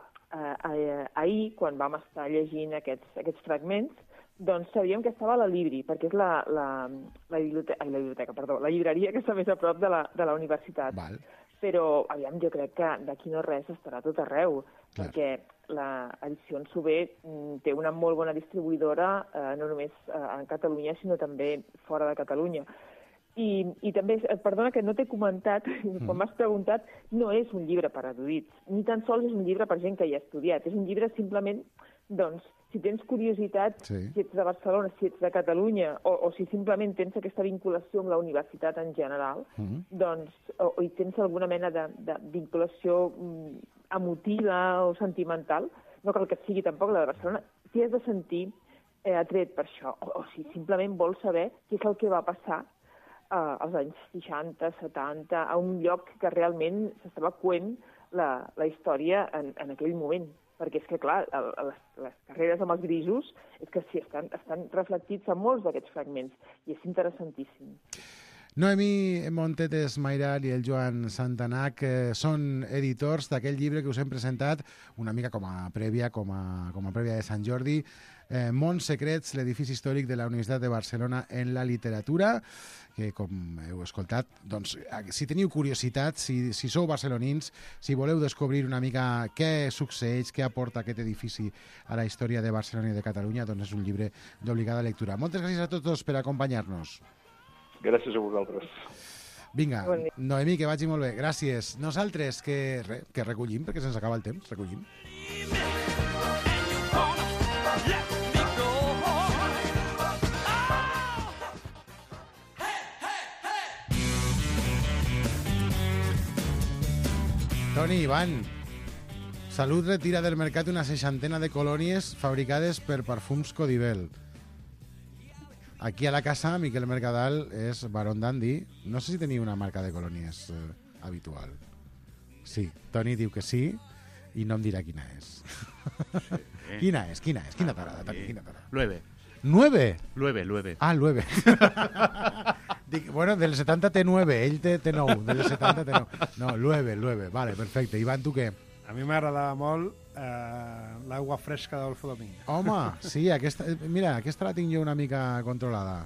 Speaker 13: ahir, quan vam estar llegint aquests fragments, doncs sabíem que estava a la Libri, perquè és la llibreria que està més a prop de la universitat.
Speaker 2: Val.
Speaker 13: Però, aviam, jo crec que d'aquí no res estarà a tot arreu, perquè l'edició Sober té una molt bona distribuïdora, no només en Catalunya, sinó també fora de Catalunya. I també, perdona que no t'he comentat, quan m'has preguntat, no és un llibre per erudits, ni tan sols és un llibre per gent que hi ha estudiat, és un llibre simplement, doncs, si tens curiositat, si ets de Barcelona, si ets de Catalunya, o si simplement tens aquesta vinculació amb la universitat en general, doncs, o hi tens alguna mena de vinculació emotiva o sentimental, no cal que sigui tampoc la de Barcelona, t'hi has de sentir atret per això, o si simplement vols saber què és el que va passar als anys 60, 70, a un lloc que realment s'estava coent la història en aquell moment. Perquè és que, clar, les carreres amb els grisos és que sí, estan reflectits a molts d'aquests fragments i és interessantíssim.
Speaker 2: Noemí Montetes Mairal i el Joan Santanac són editors d'aquell llibre que us hem presentat una mica com a prèvia de Sant Jordi, Mons secrets, l'edifici històric de la Universitat de Barcelona en la literatura, que, com heu escoltat, doncs, si teniu curiositat, si sou barcelonins, si voleu descobrir una mica què succeeix, què aporta aquest edifici a la història de Barcelona i de Catalunya, doncs és un llibre d'obligada lectura. Moltes gràcies a tots per acompanyar-nos.
Speaker 14: Gràcies a vosaltres.
Speaker 2: Vinga, Noemí, que vagi molt bé. Gràcies. Nosaltres que recollim, perquè se'ns acaba el temps, recollim. Toni, Ivan, Salut retira del mercat una 60 de colònies fabricades per Perfums Codibel. Aquí a la casa, Miquel Mercadal és Baron Dandy. No sé si tenia una marca de colònies habitual. Sí, Toni diu que sí, i no em dirà quina és. Sí. Quina és? Quina t'agrada, Toni? Quina t'agrada?
Speaker 5: Lueve.
Speaker 2: 9?
Speaker 5: Lueve.
Speaker 2: Ah, 9. Dic, bueno, del 70 té 9, ell té 9, del 70 té 9. No, 9, vale, perfecte. Ivan, tu què?
Speaker 4: A mi m'agradava molt l'aigua fresca d'Adolfo Domínguez.
Speaker 2: Home, sí, mira, aquesta la tinc jo una mica controlada.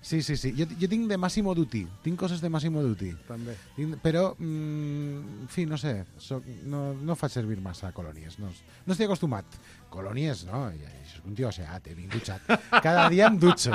Speaker 2: Sí. Jo tinc de Massimo Dutti, tinc coses de Massimo Dutti.
Speaker 4: També.
Speaker 2: Però, en fi, no sé, no faig servir massa colònies, no estic acostumat. Colònies, no, això és un tio aseat, ben dutxat. Cada dia em dutxo.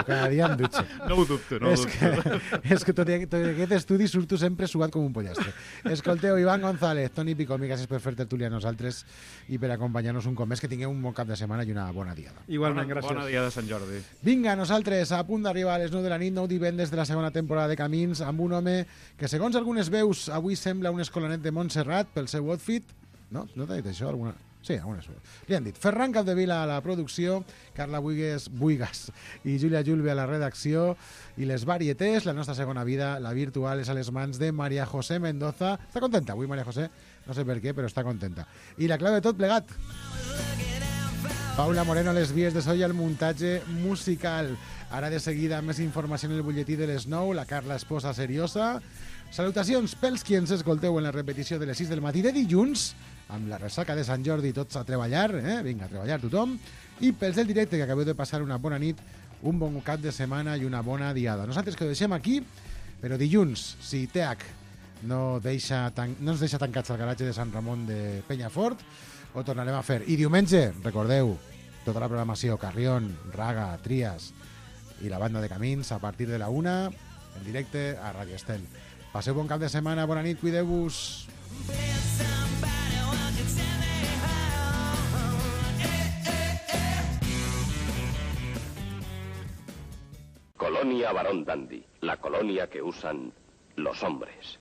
Speaker 5: No ho dubto.
Speaker 2: És que tot aquest estudi surto sempre suat com un pollastre. Escolteu, Ivan González, Toni Picomi, gràcies per fer tertúlia a nosaltres i per acompanyar-nos un cop més, que tingueu un bon cap de setmana i una bona diada.
Speaker 4: Igualment, gràcies.
Speaker 5: Bona dia de Sant Jordi.
Speaker 2: Vinga, nosaltres, a punt d'arribar a les 9 de la nit, 9 divendres de la segona temporada de Camins, amb un home que, segons algunes veus, avui sembla un escolanet de Montserrat pel seu outfit. No t'ha dit això? Sí, algunes veus. Li han dit Ferran Capdevila a la producció, Carla Buigas i Júlia Julve a la redacció, i les varietés, la nostra segona vida, la virtual, és a les mans de María José Mendoza. Està contenta avui, María José? No sé per què, però està contenta. I la clau de tot plegat, Paula Moreno, les vies de so i el muntatge musical. Ara de seguida més informació en el butlletí de les 9, la Carla Esposa seriosa. Salutacions pels qui ens escolteu en la repetició de les 6 del matí de dilluns, amb la ressaca de Sant Jordi, tots a treballar, vinga, a treballar tothom, i pels del directe, que acabeu de passar una bona nit, un bon cap de setmana i una bona diada. Nosaltres que ho deixem aquí, però dilluns, si TH no ens deixa tancats al garatge de Sant Ramon de Penyafort, ho tornarem a fer. I diumenge, recordeu, tota la programació, Carrion, Raga, Trias i la banda de Camins, a partir de la 1, en directe a Radio Estel. Passeu bon cap de setmana, bona nit, cuideu-vos.
Speaker 15: Colonia Barón Dandy, la colonia que usan los hombres.